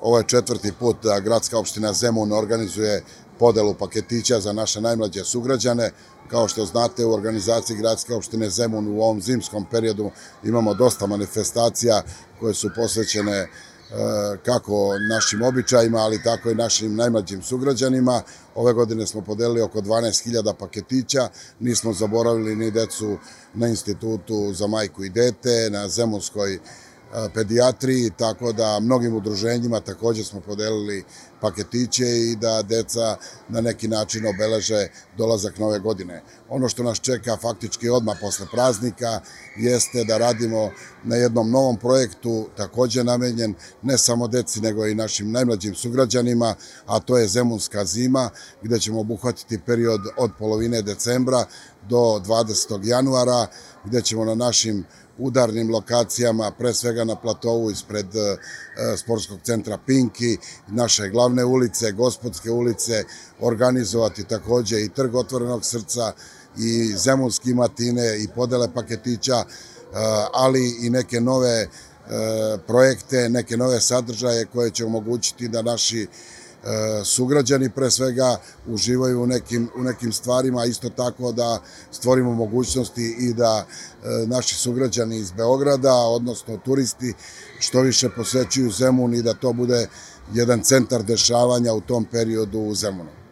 Ovo je 4. put da gradska opština Zemun organizuje podelu paketića za naše najmlađe sugrađane. Kao što znate, u organizaciji gradske opštine Zemun u ovom zimskom periodu imamo dosta manifestacija koje su posvećene kako našim običajima, ali tako i našim najmlađim sugrađanima. Ove godine smo podelili oko 12.000 paketića, nismo zaboravili ni decu na Institutu za majku i dete, na Zemunskoj pedijatriji, tako da mnogim udruženjima također smo podelili paketiće i da deca na neki način obeleže dolazak nove godine. Ono što nas čeka faktički odmah posle praznika jeste da radimo na jednom novom projektu, također namenjen ne samo deci nego i našim najmlađim sugrađanima, a to je Zemunska zima, gde ćemo obuhvatiti period od polovine decembra do 20. januara, gde ćemo na našim udarnim lokacijama, pre svega na platovu ispred sportskog centra Pinki, naše glavne ulice, Gospodske ulice, organizovati također i trg otvorenog srca i zemunski matine i podele paketića, ali i neke nove projekte, neke nove sadržaje koje će omogućiti da naši sugrađani pre svega uživaju u nekim stvarima, a isto tako da stvorimo mogućnosti i da naši sugrađani iz Beograda, odnosno turisti, što više posećuju Zemun i da to bude jedan centar dešavanja u tom periodu u Zemunu.